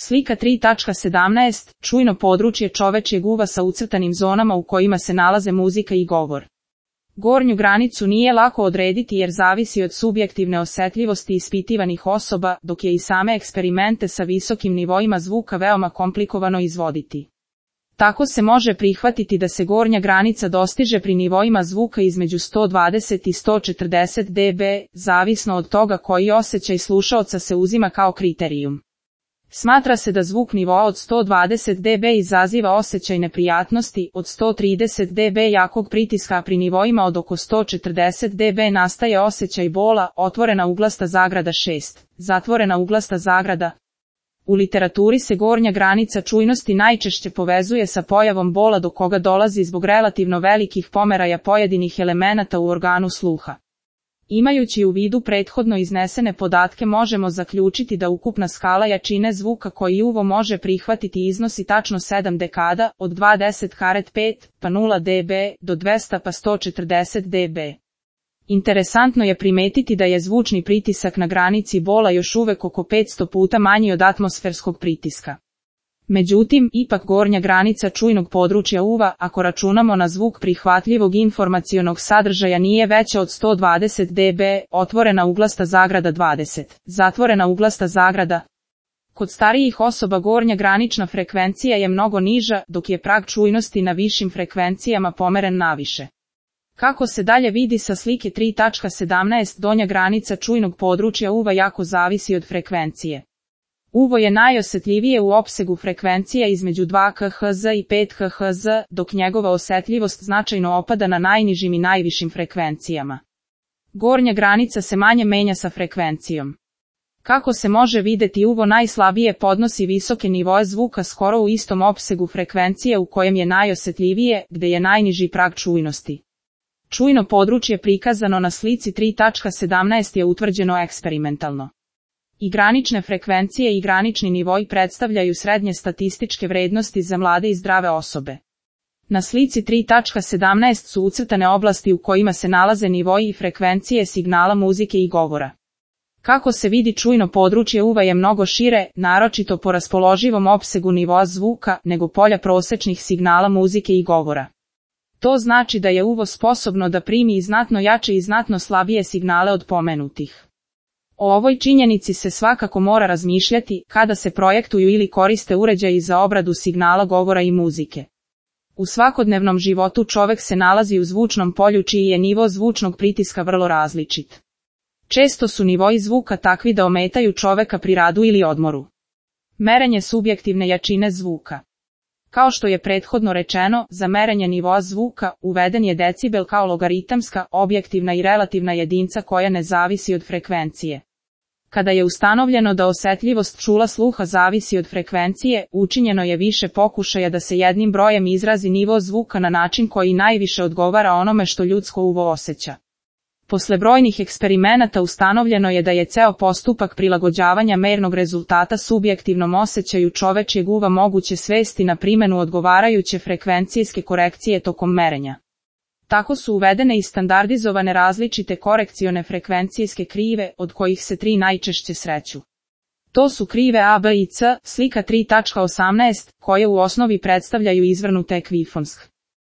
Slika 3.17. Čujno područje čovečjeg uva sa ucrtanim zonama u kojima se nalaze muzika i govor. Gornju granicu nije lako odrediti jer zavisi od subjektivne osjetljivosti ispitivanih osoba, dok je i same eksperimente sa visokim nivoima zvuka veoma komplikovano izvoditi. Tako se može prihvatiti da se gornja granica dostiže pri nivoima zvuka između 120 i 140 dB, zavisno od toga koji osjećaj slušaoca se uzima kao kriterijum. Smatra se da zvuk nivoa od 120 dB izaziva osjećaj neprijatnosti, od 130 dB jakog pritiska, a pri nivoima od oko 140 dB nastaje osjećaj bola, otvorena uglasta zagrada 6, zatvorena uglasta zagrada. U literaturi se gornja granica čujnosti najčešće povezuje sa pojavom bola do koga dolazi zbog relativno velikih pomeraja pojedinih elemenata u organu sluha. Imajući u vidu prethodno iznesene podatke možemo zaključiti da ukupna skala jačine zvuka koji uvo može prihvatiti iznosi tačno 7 dekada, od 20,5 pa 0 dB do 200 pa 140 dB. Interesantno je primetiti da je zvučni pritisak na granici bola još uvek oko 500 puta manji od atmosferskog pritiska. Međutim, ipak gornja granica čujnog područja uva, ako računamo na zvuk prihvatljivog informacionog sadržaja, nije veća od 120 dB, otvorena uglasta zagrada 20, zatvorena uglasta zagrada. Kod starijih osoba gornja granična frekvencija je mnogo niža, dok je prag čujnosti na višim frekvencijama pomeren naviše. Kako se dalje vidi sa slike 3.17, donja granica čujnog područja uva jako zavisi od frekvencije. Uvo je najosjetljivije u opsegu frekvencija između 2 kHz i 5 kHz, dok njegova osjetljivost značajno opada na najnižim i najvišim frekvencijama. Gornja granica se manje menja sa frekvencijom. Kako se može videti, uvo najslabije podnosi visoke nivoe zvuka skoro u istom opsegu frekvencije u kojem je najosjetljivije, gde je najniži prag čujnosti. Čujno područje prikazano na slici 3.17 je utvrđeno eksperimentalno. I granične frekvencije i granični nivoi predstavljaju srednje statističke vrednosti za mlade i zdrave osobe. Na slici 3.17 su ucrtane oblasti u kojima se nalaze nivoi i frekvencije signala muzike i govora. Kako se vidi, čujno područje uva je mnogo šire, naročito po raspoloživom opsegu nivoa zvuka, nego polja prosečnih signala muzike i govora. To znači da je uvo sposobno da primi i znatno jače i znatno slabije signale od pomenutih. O ovoj činjenici se svakako mora razmišljati kada se projektuju ili koriste uređaji za obradu signala govora i muzike. U svakodnevnom životu čovek se nalazi u zvučnom polju čiji je nivo zvučnog pritiska vrlo različit. Često su nivoi zvuka takvi da ometaju čoveka pri radu ili odmoru. Merenje subjektivne jačine zvuka. Kao što je prethodno rečeno, za merenje nivoa zvuka uveden je decibel kao logaritamska, objektivna i relativna jedinca koja ne zavisi od frekvencije. Kada je ustanovljeno da osjetljivost čula sluha zavisi od frekvencije, učinjeno je više pokušaja da se jednim brojem izrazi nivo zvuka na način koji najviše odgovara onome što ljudsko uvo osjeća. Posle brojnih eksperimenata ustanovljeno je da je ceo postupak prilagođavanja mernog rezultata subjektivnom osjećaju čovečjeg uva moguće svesti na primenu odgovarajuće frekvencijske korekcije tokom merenja. Tako su uvedene i standardizovane različite korekcione frekvencijske krive, od kojih se 3 najčešće sreću. To su krive A, B i C, slika 3.18, koje u osnovi predstavljaju izvrnute ekvifonsk.